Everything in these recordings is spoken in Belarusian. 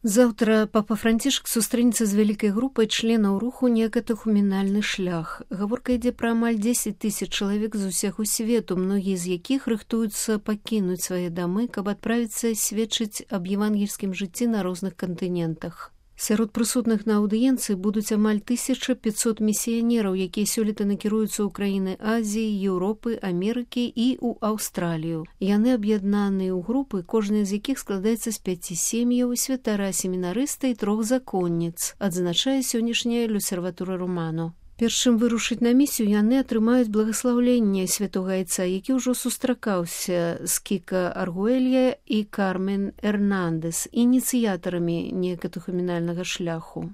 Заўтра папа Францішак сустрэнецца з вялікай групай членаў руху некатэхуменальны шлях. Гаворка ідзе пра амаль 10 000 чалавек з усяго свету, многія з якіх рыхтуюцца пакінуць свае дамы, каб адправіцца сведчыць аб евангельскім жыцці на розных кантынентах. Сярод прысутных на аўдыенцыі будуць амаль 1500 місіянераў, якія сёлета накіруюцца ў краіны Азіі, Еўропы, Амерыкі і ў Аўстралію. Яны аб'яднаныя ў групы, кожная з якіх складаецца з 5 сем'яў, святара, семінарыста і 3 законніц, адзначае сённяшняя Люсерватура Романо. Перш чым вырушыць на місію, яны атрымаюць благаслаўленне святога айца, які ўжо сустракаўся з Кіка Аргуэлья і Кармен Эрнандес, ініцыятарамі некатэхуменальнага шляху.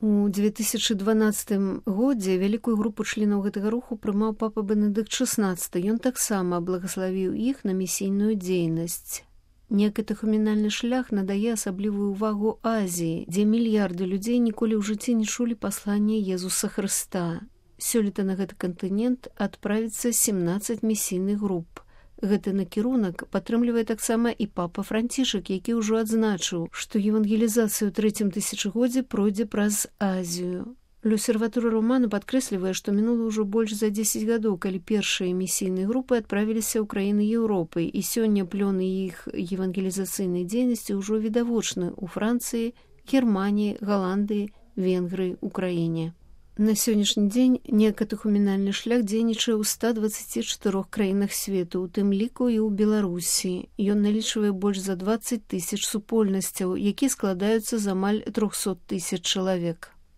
У 2012 годзе вялікую групу членаў гэтага руху прымаў папа Бенедыкт XVI. Ён таксама благаславіў іх на місійную дзейнасць. Некатэхуменальны шлях надае асаблівую ўвагу Азіі, дзе мільярды людзей ніколі ў жыцці не чулі паслання Езуса Хрыста. Сёлета на гэты кантынент адправіцца 17 місійных груп. Гэты накірунак падтрымлівае таксама і папа Францішак, які ўжо адзначыў, што евангелізацыя ў 3-м тысячагоддзі пройдзе праз Азію. Люсерватура Романо падкрэслівае, што мінула ўжо больш за 10 гадоў, калі першыя місійныя групы адправіліся ў краіны Еўропы, і сёння плёны іх евангелізацыйнай дзейнасці ўжо відавочны ў Францыі, Германіі, Галандыі, Венгрыі, Украіне. На сённяшні дзень некатэхуменальны шлях дзейнічае ў 124 краінах свету, у тым ліку і ў Беларусі. Ён налічвае больш за 20 000 супольнасцяў, якія складаюцца з амаль 300 000 чалавек.